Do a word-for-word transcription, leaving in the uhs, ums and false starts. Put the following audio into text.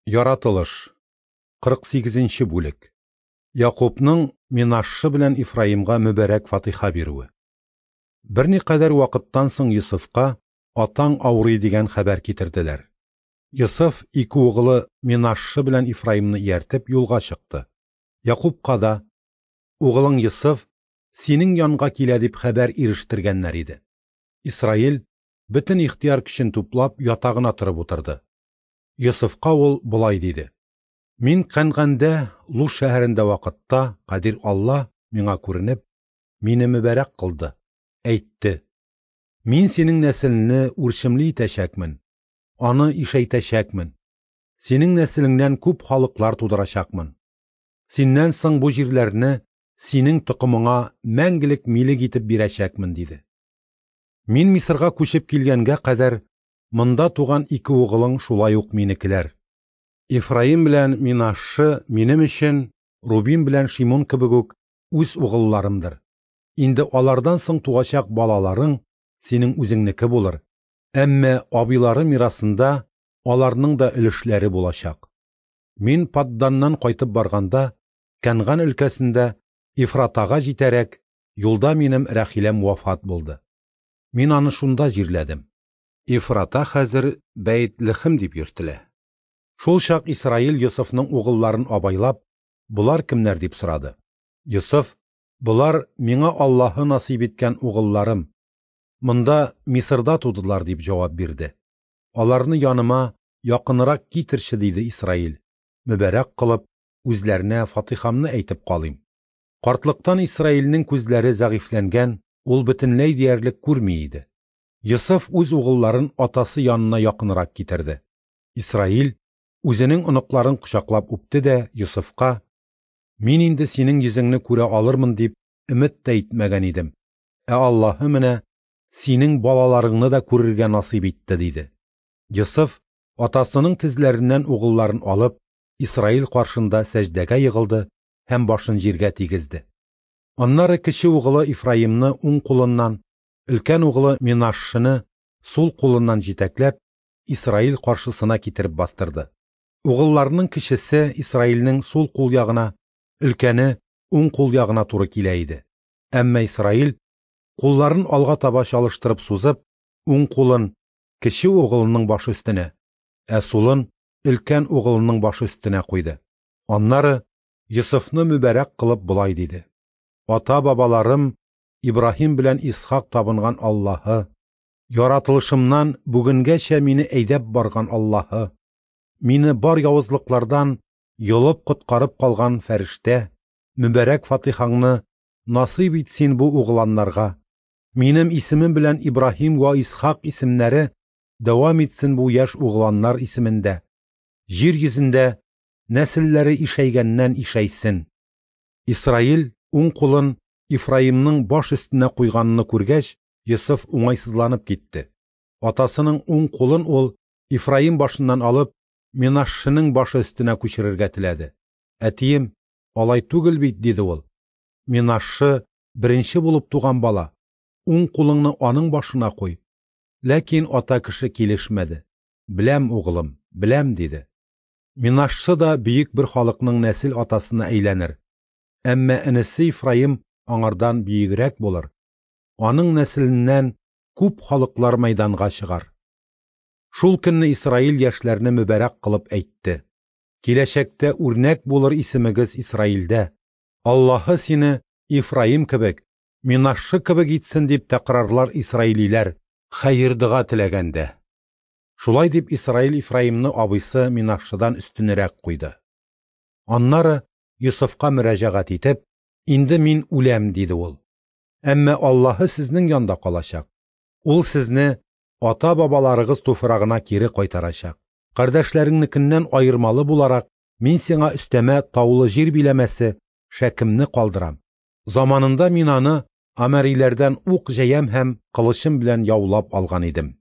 Яратылыш. кырык сигезенче бүлек. Якубның Менашше белән Ифраимга мөбарәк фатиха бирүе. Берникадәр вакыттан соң Йосыфка атаң авырый дигән хәбәр китерделәр. Йосыф ике угылы Менашше белән Ифраимны ияртеп юлга чыкты. Якубка да угылың Йосыф синең янга килә дип хәбәр ирештергәннәр иде. Исраил бөтен ихтыяр көчен туплап ятагына торып утырды. Йосыфка ул болай диде: Мин Кәнгандә, Луз шәһәрендә вакытта Кадир Алла миңа күренеп, мине мөбарәк кылды, әйтте: Мин синең нәселеңне үрчемле итәчәкмен, аны ишәйтәчәкмен, синең нәселеңнән күп халыклар тудырачакмын. Синнән соң бу җирләрне синең токымыңа мәңгелек милек итеп бирәчәкмен, диде. Мин Мисырга күчеп килгәнгә кадәр монда туган ике угылың шулай ук минекеләр. Ифраим белән Менашше минем өчен Рубин белән Шимон кебек үк үз угылларымдыр. Инде алардан соң туачак балаларың синең үзеңнеке булыр. Әмма абыйлары мирасында аларның да өлешләре булачак. Мин Падданнан кайтып барганда, Кәнган өлкәсендә Ифратага җитәрәк, юлда минем Рәхиләм вафат булды. Мин аны шунда җирләдем. Ифрата хәзер Бәйт-Лехем дип йөртелә. Шул чак Исраил Йосыфның угылларын абайлап, болар кемнәр дип сорады. Йосыф: Болар миңа Аллаһы насыйп иткән угылларым. Монда Мисырда тудылар дип җавап бирде. Аларны яныма якынрак китерче, диде Исраил. Мөбарәк кылып, үзләренә фатихамны әйтеп калыйм. Картлыктан Исраилнең күзләре зәгыйфьләнгән, ул бөтенләй диярлек күрми иде. Йосыф үз угылларын атасы янына якынрак китерде. Исраил үзенең оныкларын кочаклап үпте дә Йосыфка: Мин инде синең йөзеңне күрә алырмын дип өмет тә итмәгән идем. Ә Аллаһы менә синең балаларыңны да күрергә насыйп итте, диде. Йосыф атасының тезләреннән угылларын алып, Исраил каршында сәҗдәгә егылды һәм башын җиргә тигезде. Аннары кече угылы Ифраимны уң кулыннан, өлкән угылы Менашшены сул кулыннан җитәкләп, Исраил каршысына китереп бастырды. Угылларының кечесе Исраилнең сул кул ягына, өлкәне уң кул ягына туры килә иде. Әмма Исраил кулларын алга таба чалыштырып сузып, уң кулын кече угылының башы өстенә, ә сулын өлкән угылының башы өстенә куйды. Аннары Йосыфны мөбарәк кылып болай диде: Ата-бабаларым Ибраһим белән Исхак табынган Аллаһы, яратылышымнан бүгенгәчә мине әйдәп барган Аллаһы, мине бар явызлыклардан йолып коткарып калган фәрештә, мөбарәк фатихаңны насыйп ит син бу угыланнарга. Минем исемем белән Ибраһим вә Исхак исемнәре дәвам итсен бу яшь угыланнар исемендә. Җир йөзендә нәселләре ишәйгәннән ишәйсен. Исраил уң кулын Ифраимның баш өстенә куйганны күргәч, Йосыф уңайсызланып китте. Атасының уң кулын ул Ифраим башыннан алып, Менашшеның башы өстенә күчерергә теләде. Әтием, алай түгел бит, диде ул. Менашше беренче булып туган бала. Уң кулыңны аның башына куй. Ләкин ата кеше килешмәде. Беләм, угылым, беләм, диде. Менашше да бөек бер халыкның нәсел атасына әйләнер. Әмма энесе Ифраим аңардан бөегрәк булыр. Аның нәселеннән күп халыклар мәйданга чыгар. Шул көнне Исраил яшьләрне мөбарәк кылып әйтте: Киләчәктә үрнәк булыр исемегез Исраилдә. Аллаһы сине Ифраим кебек, Менашше кебек итсен дип тәкрарлар исраилиләр хәер дога теләгәндә. Шулай дип Исраил Ифраимны абыйсы Менашшедан өстенрәк куйды. Аннары Йосыфка мөрәҗәгать итеп: Инде мин үләм, диде ул. Әмма Аллаһы сезнең янда калачак. Ул сезне ата-бабаларыгыз туфрагына кире кайтарачак. Кардәшләреңнекеннән аермалы буларак, мин сиңа өстәмә таулы җир биләмәсе Шәкемне калдырам. Заманында мин аны амәриләрдән ук җәям һәм кылычым белән яулап алган идем.